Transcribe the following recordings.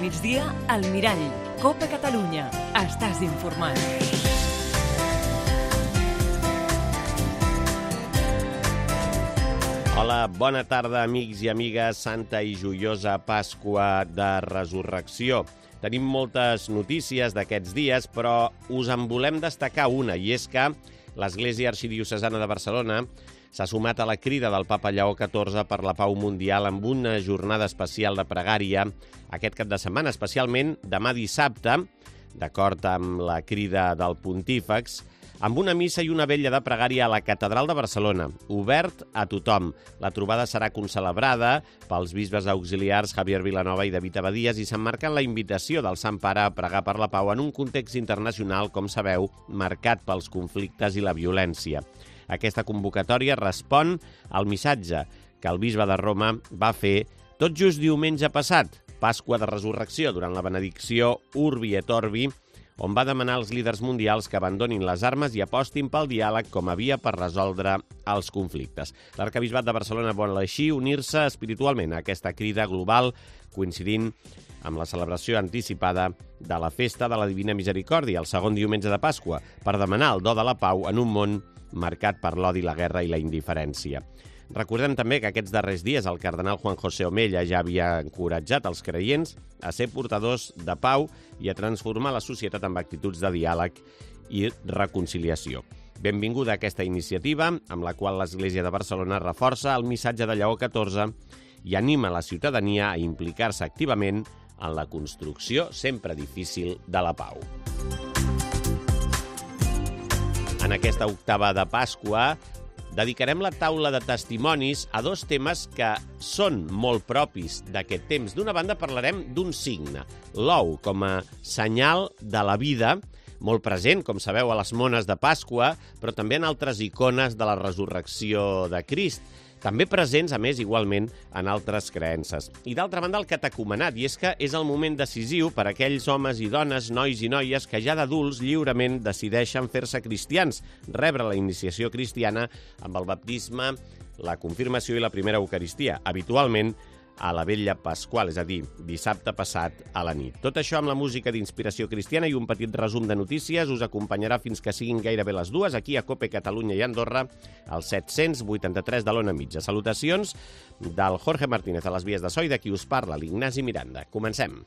migdia, al Mirall. Copa Catalunya. Estàs informat. Hola, bona tarda, amics i amigues. Santa i joiosa Pasqua de Resurrecció. Tenim moltes notícies d'aquests dies, però us en volem destacar una, i és que l'Església Arxidiocesana de Barcelona s'ha sumat a la crida del papa Lleó XIV per la pau mundial amb una jornada especial de pregària aquest cap de setmana, especialment demà dissabte, d'acord amb la crida del pontífex, amb una missa i una vetlla de pregària a la Catedral de Barcelona, obert a tothom. La trobada serà concelebrada pels bisbes auxiliars Javier Vilanova i David Abadies i s'emmarca en la invitació del Sant Pare a pregar per la pau en un context internacional, com sabeu, marcat pels conflictes i la violència. Aquesta convocatòria respon al missatge que el bisbe de Roma va fer tot just diumenge passat, Pasqua de Resurrecció, durant la benedicció Urbi et Orbi, on va demanar als líders mundials que abandonin les armes i apostin pel diàleg com a via per resoldre els conflictes. L'Arquebisbat de Barcelona vol així unir-se espiritualment a aquesta crida global, coincidint amb la celebració anticipada de la Festa de la Divina Misericòrdia, el segon diumenge de Pasqua, per demanar el do de la pau en un món marcat per l'odi, la guerra i la indiferència. Recordem també que aquests darrers dies el cardenal Juan José Omella ja havia encoratjat els creients a ser portadors de pau i a transformar la societat amb actituds de diàleg i reconciliació. Benvinguda a aquesta iniciativa, amb la qual l'Església de Barcelona reforça el missatge de Lleó XIV i anima la ciutadania a implicar-se activament en la construcció, sempre difícil, de la pau. En aquesta octava de Pasqua dedicarem la taula de testimonis a dos temes que són molt propis d'aquest temps. D'una banda parlarem d'un signe, l'ou com a senyal de la vida, molt present, com sabeu, a les mones de Pasqua, però també en altres icones de la resurrecció de Crist, també presents, a més, igualment, en altres creences. I d'altra banda, el catecumenat, i és que és el moment decisiu per a aquells homes i dones, nois i noies, que ja d'adults lliurement decideixen fer-se cristians, rebre la iniciació cristiana amb el baptisme, la confirmació i la primera Eucaristia, habitualment a la vetlla pasqual, és a dir, dissabte passat a la nit. Tot això amb la música d'inspiració cristiana i un petit resum de notícies us acompanyarà fins que siguin gairebé les 2, aquí a Cope Catalunya i Andorra, al 783 de l'Ona Mitja. Salutacions del Jorge Martínez a les vies de so i de qui us parla, l'Ignasi Miranda. Comencem.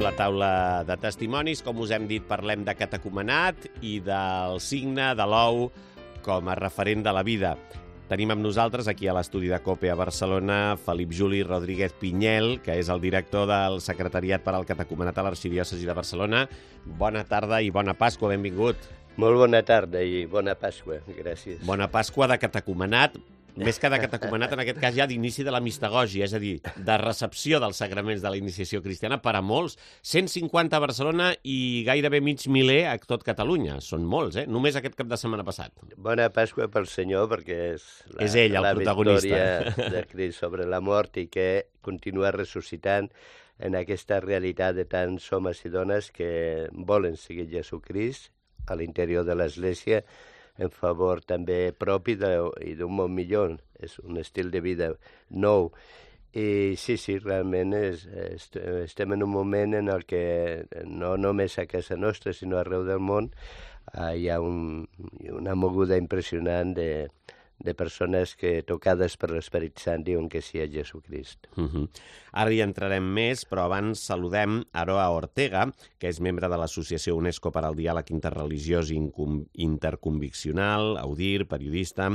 La taula de testimonis, com us hem dit, parlem de catecumenat i del signe de l'ou com a referent de la vida. Tenim amb nosaltres aquí a l'estudi de COPE a Barcelona Felip Juli Rodríguez Pinyel, que és el director del Secretariat per al Catecumenat a l'Arxidiòcesi de Barcelona. Bona tarda i bona Pasqua, benvingut. Molt bona tarda i bona Pasqua, gràcies. Bona Pasqua de catecumenat, més que de catecumenat, en aquest cas ja d'inici de la mistagògia, és a dir, de recepció dels sagraments de la iniciació cristiana per a molts. 150 a Barcelona i gairebé mig miler a tot Catalunya. Són molts, Només aquest cap de setmana passat. Bona Pasqua pel Senyor, perquè és ell, el protagonista. La victòria de Crist sobre la mort i que continua ressuscitant en aquesta realitat de tants homes i dones que volen seguir Jesucrist a l'interior de l'Església en favor també propi i d'un món millor. És un estil de vida nou. I sí, realment estem en un moment en el que no només a casa nostra, sinó arreu del món hi ha una moguda impressionant de persones que, tocades per l'Esperit Sant, diuen que sí a Jesucrist. Ara hi entrarem més, però abans saludem Aroa Ortega, que és membre de l'Associació UNESCO per al Diàleg Interreligiós i Interconviccional, AUDIR, periodista,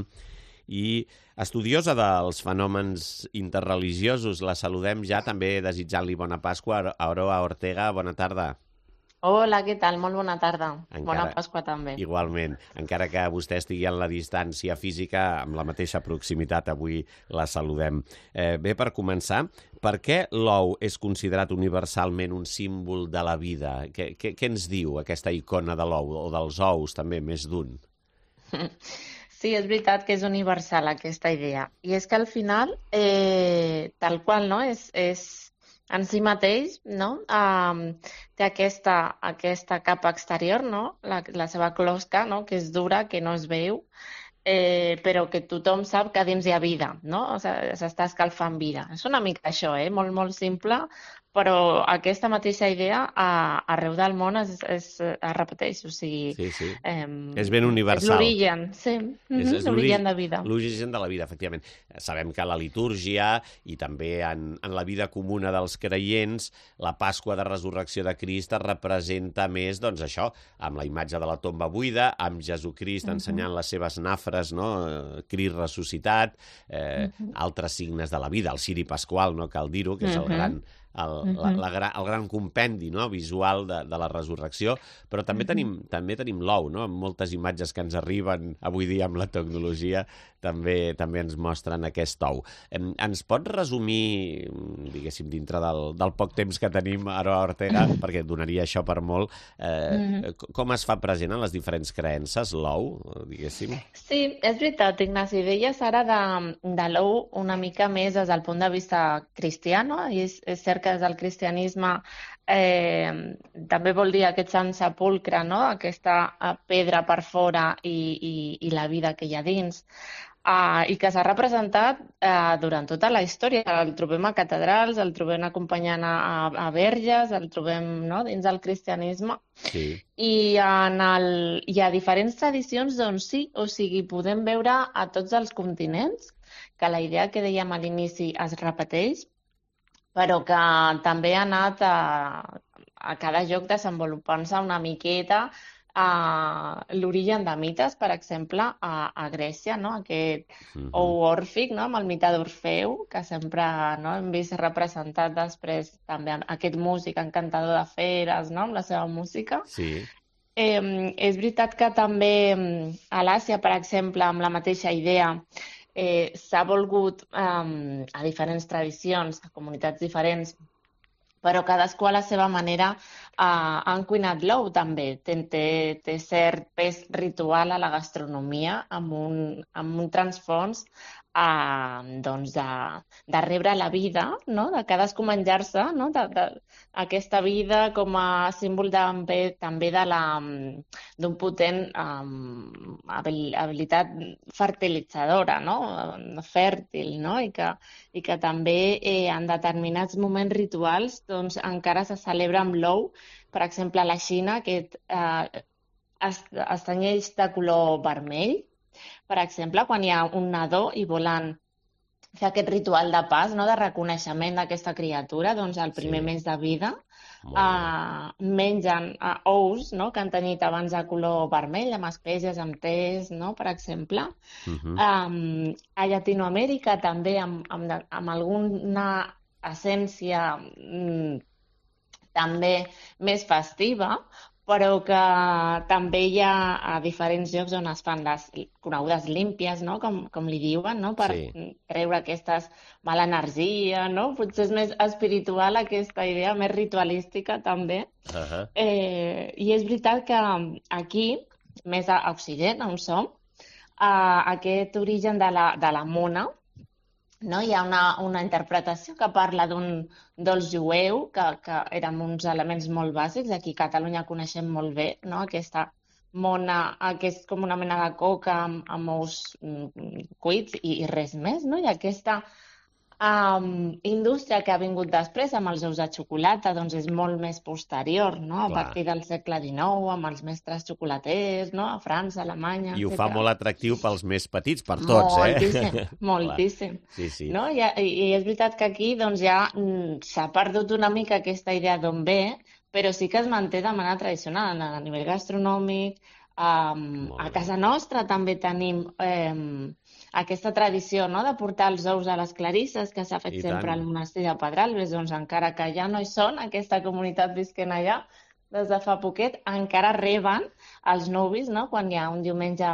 i estudiosa dels fenòmens interreligiosos. La saludem ja, també desitjant-li bona Pasqua. Aroa Ortega, bona tarda. Hola, què tal? Molt bona tarda. Bona Pasqua també. Igualment. Encara que vostè estigui en la distància física, amb la mateixa proximitat, avui la saludem. Bé, per començar, per què l'ou és considerat universalment un símbol de la vida? Què ens diu aquesta icona de l'ou, o dels ous també, més d'un? Sí, és veritat que és universal aquesta idea. I és que al final, tal qual, no? És en si mateix, no? Té aquesta capa exterior, no? La seva closca, no? Que és dura, que no es veu, però que tothom sap que dins hi ha vida, no? O sigui, s'està escalfant vida. És una mica això, molt, molt simple, però aquesta mateixa idea arreu del món es repeteix, o sigui... Sí, sí. És ben universal. És l'origen, sí. És L'origen de vida. L'origen de la vida, efectivament. Sabem que la litúrgia i també en la vida comuna dels creients, la Pasqua de Resurrecció de Crist es representa més, doncs això, amb la imatge de la tomba buida, amb Jesucrist ensenyant les seves nafres, no? Crist ressuscitat, altres signes de la vida, el ciri pasqual, no cal dir-ho, que és el gran... el gran compendi, no? Visual de la resurrecció, però també tenim l'ou, no? Amb moltes imatges que ens arriben avui dia amb la tecnologia també ens mostren aquest ou. Ens pot resumir, diguéssim, dintre del poc temps que tenim, Aroa Ortega, perquè donaria això per molt, com es fa present en les diferents creences l'ou, diguéssim? Sí, és veritat, Ignasi. Deies ara de l'ou una mica més des del punt de vista cristià, no? I és cert que des del cristianisme també vol dir aquest sant sepulcre, no? Aquesta pedra per fora i la vida que hi ha dins. I que s'ha representat durant tota la història. El trobem a catedrals, el trobem acompanyant a verges, el trobem, no? Dins del cristianisme. Sí. I a diferents tradicions, doncs sí, o sigui, podem veure a tots els continents que la idea que dèiem a l'inici es repeteix, però que també ha anat a cada lloc desenvolupant-se una miqueta. L'origen de mites, per exemple, a Grècia, no? Aquest ou òrfic, no? Amb el mite d'Orfeu, que sempre, no? Hem vist representat després també aquest músic encantador de feres, no? Amb la seva música. Sí. És veritat que també a l'Àsia, per exemple, amb la mateixa idea, s'ha volgut a diferents tradicions, a comunitats diferents, però cadascú a la seva manera ha encuinat l'ou també. Té cert pes ritual a la gastronomia amb un transfons doncs de rebre la vida, no? De cadascú menjar-se, no? Aquesta vida com a símbol també d'un potent habilitat fertilitzadora, no? Fèrtil, no? I que també en determinats moments rituals doncs, encara se celebra amb l'ou. Per exemple, a la Xina, que es tenyeix de color vermell, per exemple, quan hi ha un nadó i volen fer aquest ritual de pas, no? De reconeixement d'aquesta criatura, doncs el primer mes de vida mengen ous, no? Que han tenyit abans de color vermell, amb espècies, amb tés, no? Per exemple. A Llatinoamèrica també amb alguna essència també més festiva, però que també hi ha a diferents llocs on es fan les conegudes límpies, no? Com li diuen, no? Per treure aquesta mala energia, no? Potser és més espiritual aquesta idea, més ritualística també. I és veritat que aquí, més a Occident, on som, aquest origen de la mona, no? Hi ha una interpretació que parla d'un dolç jueu, que eren uns elements molt bàsics. Aquí a Catalunya coneixem molt bé, no? Aquesta mona, que és com una mena de coca amb ous cuits i res més, no? I aquesta indústria que ha vingut després amb els ous de xocolata doncs és molt més posterior, no? A partir del segle XIX, amb els mestres xocolaters, no? A França, Alemanya, I ho fa molt atractiu pels més petits, per tots, moltíssim. Sí. No? I és veritat que aquí doncs, ja s'ha perdut una mica aquesta idea d'on ve, però sí que es manté de manera tradicional a nivell gastronòmic. A casa nostra també tenim aquesta tradició, no? De portar els ous a les clarisses, que s'ha fet sempre al monestir de Pedralbes, doncs encara que ja no hi són, aquesta comunitat visquent allà, des de fa poquet, encara reben els nuvis, no? Quan hi ha un diumenge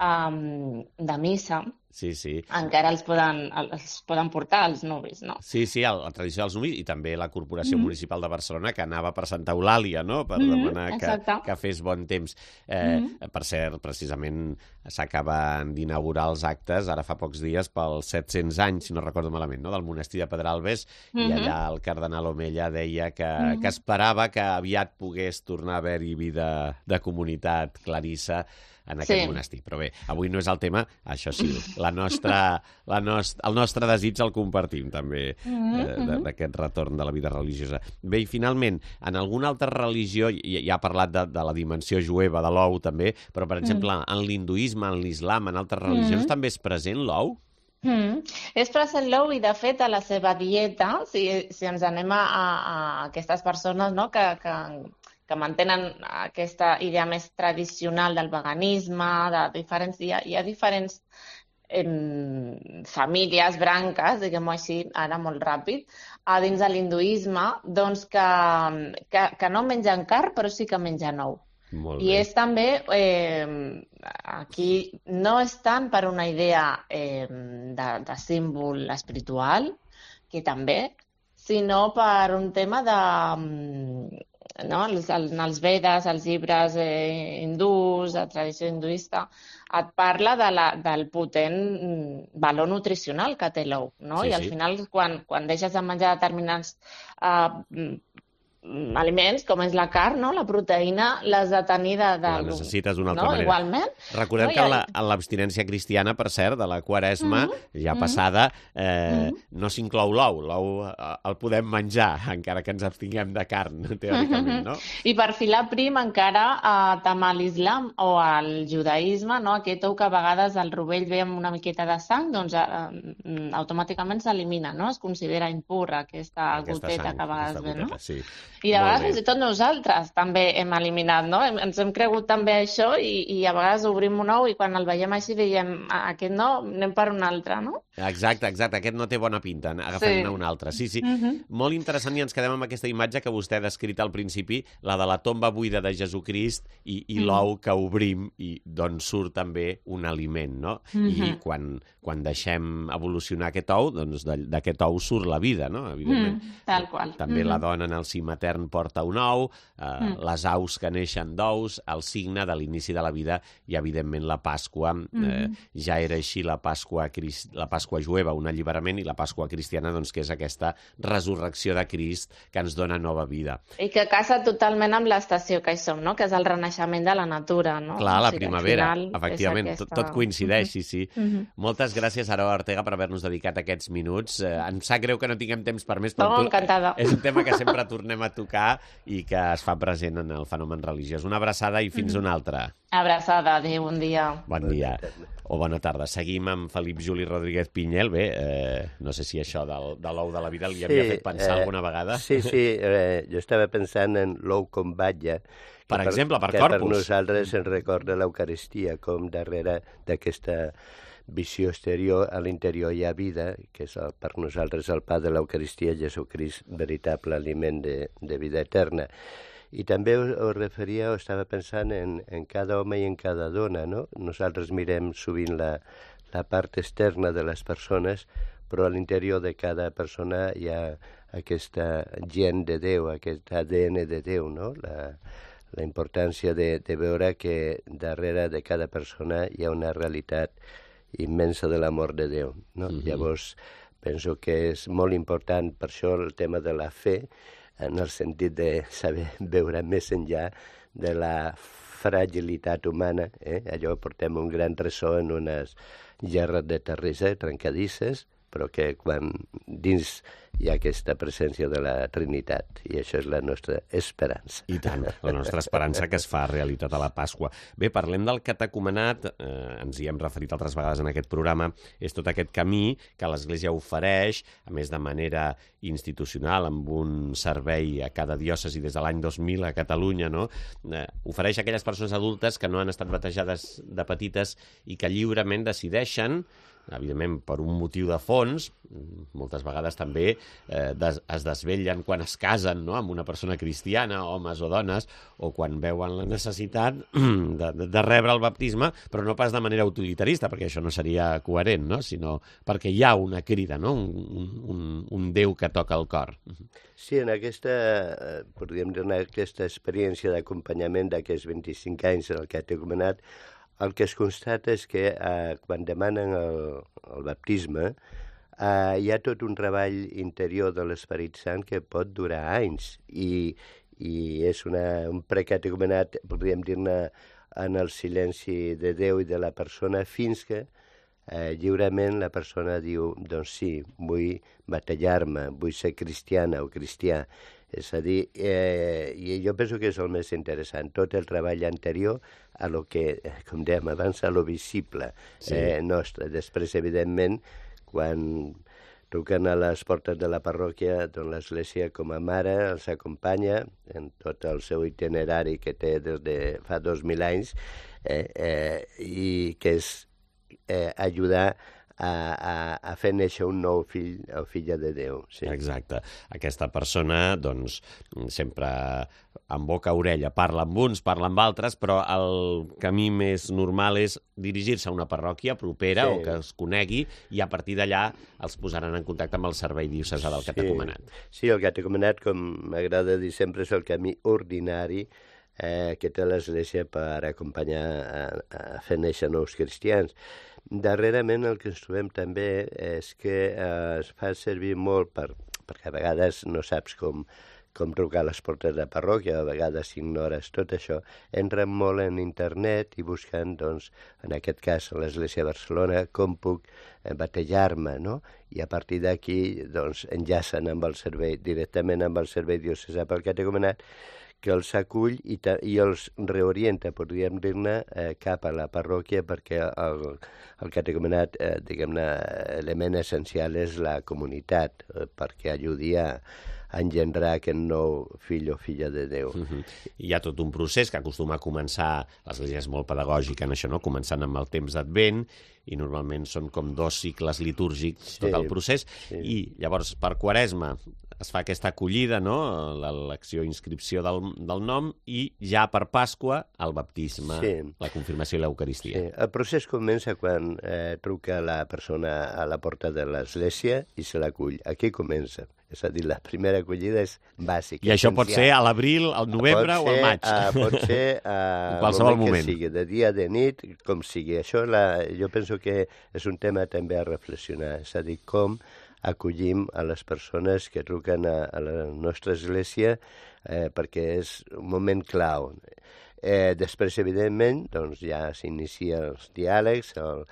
de missa, encara els poden portar els nuvis, no? Sí, la tradició dels nuvis i també la Corporació Municipal de Barcelona, que anava per Santa Eulàlia, no?, per demanar que fes bon temps. Per cert, precisament s'acaben d'inaugurar els actes, ara fa pocs dies, pels 700 anys, si no recordo malament, no?, del monestir de Pedralbes, i allà el cardenal Omella deia que esperava que aviat pogués tornar a haver-hi vida de comunitat clarissa en aquest monestir. Però bé, avui no és el tema, això sí, el nostre desig el compartim també, d'aquest retorn de la vida religiosa. Bé, i finalment, en alguna altra religió, ja ha parlat de la dimensió jueva de l'ou també, però per exemple, en l'hinduisme, en l'islam, en altres religions també és present l'ou? És present l'ou i, de fet, a la seva dieta, si ens anem a aquestes persones, no?, que mantenen aquesta idea més tradicional del veganisme, hi ha diferents famílies, branques, diguem-ho així, ara molt ràpid, dins de l'hinduisme, doncs que no mengen carn, però sí que mengen ou. I és també, aquí no és tant per una idea de símbol espiritual, que també, sinó per un tema de... No? Els Vedes, els llibres hindús, la tradició hinduista, et parla del potent valor nutricional que té l'ou, no? I al final, quan deixes de menjar determinats aliments, com és la carn, no?, la proteïna, l'has de tenir la necessites d'una altra manera. Igualment. Recordem que en l'abstinència cristiana, per cert, de la Quaresma, ja passada, no s'inclou l'ou. L'ou el podem menjar, encara que ens abstinguem de carn, teòricament, no? I per filar prim, encara, tant a l'islam o al judaïsme, no?, aquest ou que a vegades el rovell ve amb una miqueta de sang, doncs automàticament s'elimina, no? Es considera impur aquesta goteta que a vegades ve, no? Sí. I de vegades fins i tot nosaltres també hem eliminat, no? Ens hem cregut també això i a vegades obrim un ou i quan el veiem així diem aquest no, anem per un altre, no? Exacte, aquest no té bona pinta, agafem-ne un altre. Sí. Molt interessant, i ens quedem amb aquesta imatge que vostè ha descrit al principi, la de la tomba buida de Jesucrist i l'ou que obrim i d'on surt també un aliment, no? I quan deixem evolucionar aquest ou, doncs d'aquest ou surt la vida, no? Evidentment. Tal qual. També la dona en el si matern porta un ou, les aus que neixen d'ous, el signe de l'inici de la vida i, evidentment, la Pasqua. Ja era així la Pasqua jueva, un alliberament, i la Pasqua cristiana, doncs, que és aquesta resurrecció de Crist que ens dona nova vida. I que casa totalment amb l'estació que hi som, no?, que és el renaixement de la natura, no? Clar, la primavera, efectivament, tot coincideix, sí. Moltes gràcies, Aroa Ortega, per haver-nos dedicat aquests minuts. Em sap greu que no tinguem temps per més, però encantada. És un tema que sempre tornem a tocar i que es fa present en el fenomen religiós. Una abraçada i fins una altra. Abraçada, adéu, bon dia. Bon dia. O bona tarda. Seguim amb Felip Juli Rodríguez Pinyel. Bé, no sé si això de l'ou de la vida li havia fet pensar alguna vegada. Sí, jo estava pensant en l'ou com batlla. Per exemple, per Corpus. Que per nosaltres ens recorda l'Eucaristia, com darrere d'aquesta visió exterior, a l'interior hi ha vida, que és per nosaltres el pa de l'Eucaristia, Jesucrist, veritable aliment de vida eterna. I també us referia, o estava pensant en cada home i en cada dona, no? Nosaltres mirem sovint la part externa de les persones, però a l'interior de cada persona hi ha aquesta gent de Déu, aquest ADN de Déu, no? La importància de veure que darrere de cada persona hi ha una realitat immensa de l'amor de Déu, no? Llavors, penso que és molt important per això el tema de la fe, en el sentit de saber veure més enllà de la fragilitat humana. Allò portem un gran tresor en unes gerres de terrissa trencadisses, però que quan dins hi ha aquesta presència de la Trinitat, i això és la nostra esperança. I tant, la nostra esperança que es fa realitat a la Pasqua. Bé, parlem del catecumenat, ens hi hem referit altres vegades en aquest programa, és tot aquest camí que l'Església ofereix, a més de manera institucional, amb un servei a cada diòcesi des de l'any 2000 a Catalunya, no? Ofereix a aquelles persones adultes que no han estat batejades de petites i que lliurement decideixen evidentment, per un motiu de fons, moltes vegades també es desvetllen quan es casen, no?, amb una persona cristiana, homes o dones, o quan veuen la necessitat de rebre el baptisme, però no pas de manera utilitarista, perquè això no seria coherent, no?, sinó perquè hi ha una crida, no?, un Déu que toca el cor. Sí, en aquesta, podríem dir, aquesta experiència d'acompanyament d'aquests 25 anys en el catecumenat, el que es constata és que quan demanen el baptisme hi ha tot un treball interior de l'Esperit Sant que pot durar anys i és un precatecumenat, podríem dir-ne, en el silenci de Déu i de la persona fins que lliurement la persona diu, doncs sí, vull batallar-me, vull ser cristiana o cristià. És a dir, i jo penso que és el més interessant, tot el treball anterior a lo que, com dèiem abans, a lo visible nostre. Després, evidentment, quan truquen a les portes de la parròquia, doncs l'Església com a mare els acompanya en tot el seu itinerari que té des de fa 2.000 anys i que és ajudar a fer néixer un nou fill o filla de Déu. Sí. Exacte. Aquesta persona, doncs, sempre en boca a orella parla amb uns, parla amb altres, però el camí més normal és dirigir-se a una parròquia propera o que es conegui i a partir d'allà els posaran en contacte amb el servei diocesà del catecumenat. Sí, el catecumenat, com m'agrada dir sempre, és el camí ordinari que té l'Església per acompanyar a fer néixer nous cristians. Darrerament el que ens trobem també és que es fa servir molt perquè a vegades no saps com trucar a les portes de parròquia, a vegades ignores tot això, entren molt en internet i busquen, doncs, en aquest cas a l'Església de Barcelona, com puc batejar-me, no? I a partir d'aquí, doncs, enllacen amb el servei, directament amb el servei diocesà pel catecumenat, que els acull i els reorienta, podríem dir-ne, cap a la parròquia perquè el catecumenat, diguem-ne, l'element essencial és la comunitat, perquè ajudi a engendrar aquest nou fill o filla de Déu. Hi ha tot un procés que acostuma a començar, l'Església és molt pedagògica en això, no?, començant amb el temps d'Advent, i normalment són com 2 cicles litúrgics tot el procés, i llavors per Quaresma es fa aquesta acollida, no?, l'elecció i inscripció del nom, i ja per Pasqua el baptisme, la confirmació i l'Eucaristia. Sí. El procés comença quan truca la persona a la porta de l'Església i se l'acull. Aquí comença. És a dir, la primera acollida és bàsica. I això pot ser a l'abril, al novembre o al maig. Pot ser en qualsevol moment. Que sigui, de dia, de nit, com sigui. Això jo penso que és un tema també a reflexionar. És a dir, com acollim a les persones que truquen a la nostra església perquè és un moment clau. Després, evidentment, doncs ja s'inicia els diàlegs, el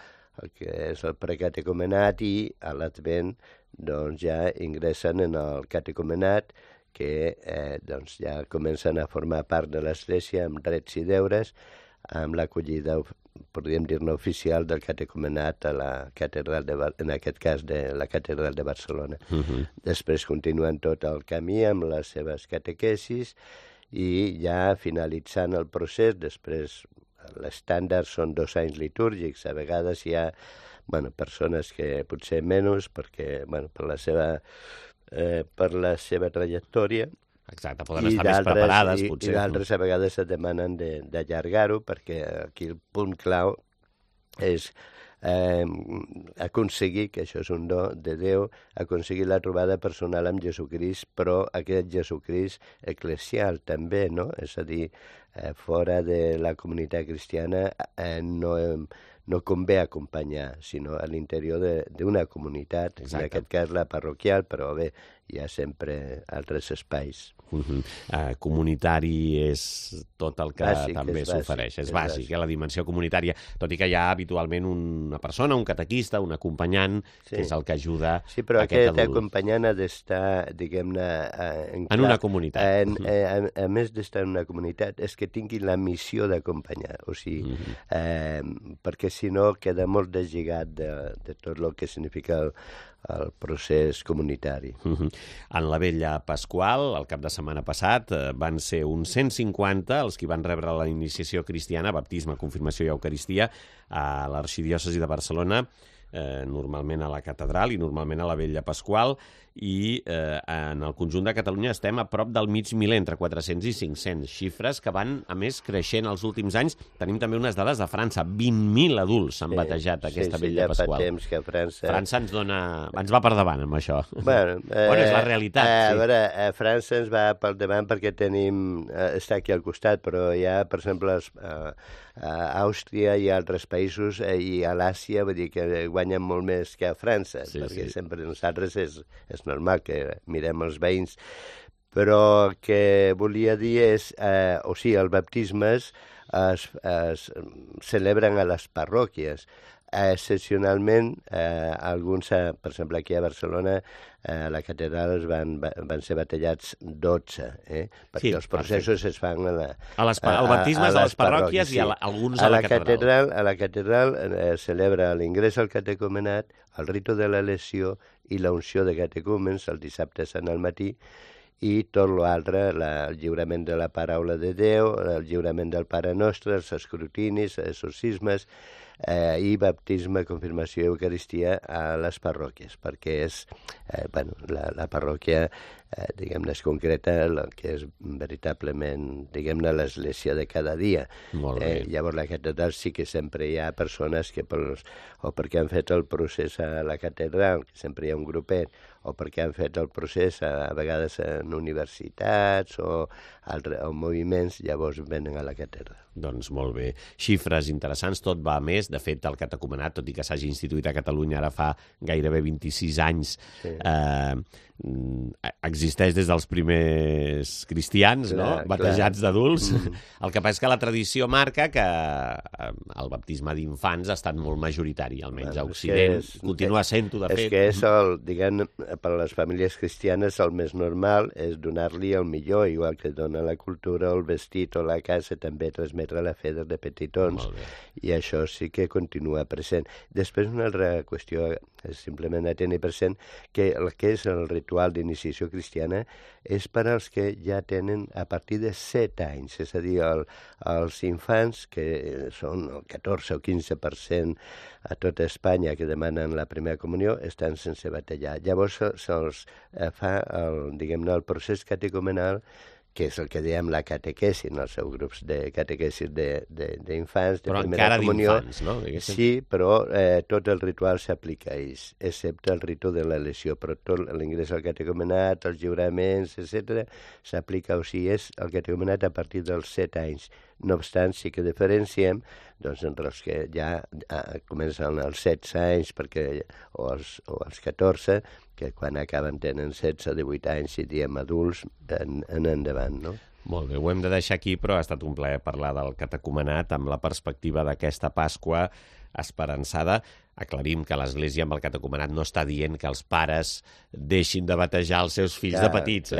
que és el precatecumenat, i a l'Advent doncs ja ingressen en el catecumenat que doncs ja comencen a formar part de l'Església amb drets i deures, amb l'acollida, podríem dir-ne, oficial del catecumenat a la catedral, en aquest cas de la catedral de Barcelona. Després continuen tot el camí amb les seves catequesis i ja finalitzant el procés, després l'estàndard són 2 anys litúrgics, a vegades hi ha persones que potser menys perquè per la seva trajectòria. Exacte, poden estar més preparades, potser. I d'altres a vegades es demanen d'allargar-ho perquè aquí el punt clau és aconseguir, que això és un do de Déu, aconseguir la trobada personal amb Jesucrist, però aquest Jesucrist eclesial també, no? És a dir, fora de la comunitat cristiana no convé acompanyar, sinó a l'interior d'una comunitat, en aquest cas la parroquial, però bé, hi ha sempre altres espais. Comunitari és tot el que també s'ofereix. És bàsic, la dimensió comunitària, tot i que hi ha habitualment una persona, un catequista, un acompanyant, que és el que ajuda aquest adult. Sí, però aquest acompanyant ha d'estar, diguem-ne... En una comunitat. A més d'estar en una comunitat, és que tingui la missió d'acompanyar. O sigui, perquè si no queda molt deslligat de tot el que significa el procés comunitari. En la Vella Pasqual, el cap de setmana passat, van ser uns 150 els que van rebre la iniciació cristiana, baptisme, confirmació i eucaristia, a l'arxidiòcesi de Barcelona, normalment a la catedral i normalment a la Vella Pasqual, i en el conjunt de Catalunya estem a prop del mig miler, entre 400 i 500, xifres que van, a més, creixent els últims anys. Tenim també unes dades de França, 20.000 adults s'han batejat aquesta Vella Pasqual. Ja fa temps que França ens va per davant amb això. Bueno, és la realitat. A veure, França ens va per davant perquè està aquí al costat, però hi ha, per exemple, a Àustria i a altres països i a l'Àsia, vull dir que guanyen molt més que a França, perquè sempre nosaltres és normal que mirem els veïns. Però el que volia dir és, els baptismes es celebren a les parròquies. Excepcionalment, alguns, per exemple, aquí a Barcelona, a la catedral van ser batejats 12, perquè els processos es fan el baptisme és a les parròquies i alguns a la catedral. A la catedral celebra l'ingrés al catecumenat, el ritu de l'elecció i la unció de catecúmens el dissabte sant al matí, i tot l'altre, el lliurament de la paraula de Déu, el lliurament del Pare Nostre, els escrutinis, exorcismes, i baptisme, confirmació i eucaristia a les parròquies, perquè és, la parròquia, diguem-ne, és concreta, el que és veritablement, diguem-ne, l'església de cada dia. Llavors, la catedral sí que sempre hi ha persones que, o perquè han fet el procés a la catedral, que sempre hi ha un grupet, o perquè han fet el procés a vegades en universitats o moviments, llavors venen a la catedral. Doncs molt bé. Xifres interessants, tot va a més. De fet, el catecumenat, tot i que s'hagi instituït a Catalunya ara fa gairebé 26 anys, existeix des dels primers cristians, batejats d'adults. El que passa és que la tradició marca que el baptisme d'infants ha estat molt majoritari, almenys a Occident. Continua sent-ho, de fet. És que és diguem, per a les famílies cristianes el més normal és donar-li el millor, igual que dona la cultura, el vestit o la casa, també transmetre la fe des de petitons, i això sí que continua present. Després, una altra qüestió és simplement a tenir present que el que és el ritual d'iniciació cristiana és per als que ja tenen a partir de 7 anys, és a dir, els infants, que són el 14 o 15% a tota Espanya que demanen la primera comunió, estan sense batejar. Llavors se'ls fa el procés catecumenal, que és el que diem la catequesi, en els seus grups de catequesis d'infants, de primera comunió. Però encara d'infants, no? Sí, però tot el ritual s'aplica a ells, excepte el ritu de l'elecció, però tot l'ingrés al catecumenat, els lliuraments, etc., s'aplica, o sigui, és el catecumenat a partir dels 7 anys. No obstant, sí que diferenciem entre els que ja comencen als 16 anys o als 14, que quan acaben tenen 16 o 18 anys i diem adults en endavant, no? Molt bé, ho hem de deixar aquí, però ha estat un plaer parlar del catecumenat amb la perspectiva d'aquesta Pasqua esperançada. Aclarim que l'Església amb el catecumenat no està dient que els pares deixin de batejar els seus fills de petits.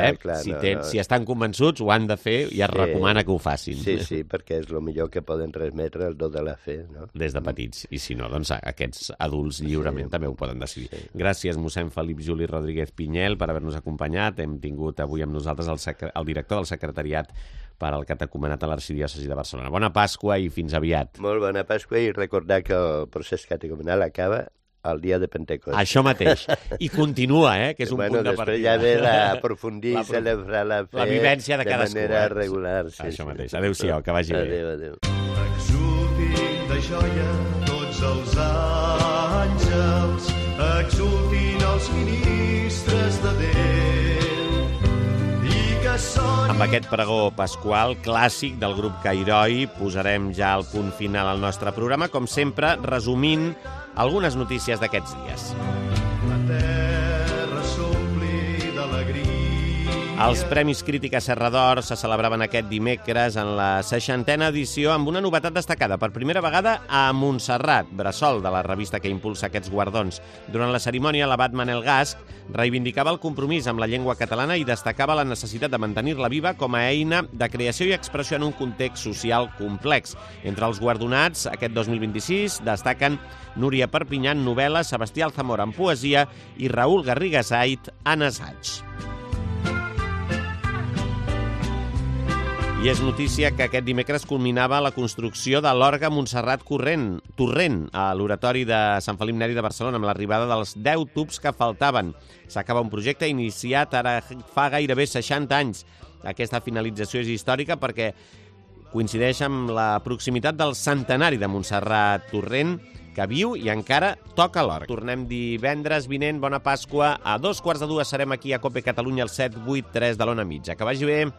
Si estan convençuts, ho han de fer i es recomana que ho facin. Sí, perquè és el millor que poden transmetre el do de la fe, no? Des de petits. I si no, doncs aquests adults lliurement també ho poden decidir. Gràcies, mossèn Felip Juli Rodríguez Pinyel, per haver-nos acompanyat. Hem tingut avui amb nosaltres el director del secretariat per al catecumenat a l'Arxidiòcesi de Barcelona. Bona Pasqua i fins aviat. Molt bona Pasqua, i recordar que el procés catecumenal acaba el dia de Pentecost. Això mateix. I continua, que és un punt de partida. Després ja ve l'aprofundir i celebrar la fe vivència de manera regular. Això mateix. Adéu-siau, que vagi bé. Adéu. Exultin de joia tots els àngels, exultin els ministres de Déu. Amb aquest pregó pasqual clàssic del grup Cairoi posarem ja el punt final al nostre programa, com sempre, resumint algunes notícies d'aquests dies. La terra s'ompli d'alegria. Els Premis Crítica Serra d'Or se celebraven aquest dimecres en la 60a edició amb una novetat destacada. Per primera vegada a Montserrat, bressol de la revista que impulsa aquests guardons. Durant la cerimònia, l'abat Manel Gasc reivindicava el compromís amb la llengua catalana i destacava la necessitat de mantenir-la viva com a eina de creació i expressió en un context social complex. Entre els guardonats, aquest 2026, destaquen Núria Perpinyà en novel·la, Sebastià Alzamora en poesia i Raül Garriga Sait en assaig. I és notícia que aquest dimecres culminava la construcció de l'Orgue Montserrat Torrent a l'Oratori de Sant Felip Neri de Barcelona amb l'arribada dels 10 tubs que faltaven. S'acaba un projecte iniciat ara fa gairebé 60 anys. Aquesta finalització és històrica perquè coincideix amb la proximitat del centenari de Montserrat Torrent, que viu i encara toca l'orgue. Tornem divendres vinent, bona Pasqua. A 2:15 serem aquí a COPE Catalunya al 783 de l'Ona Mitja. Que vagi bé.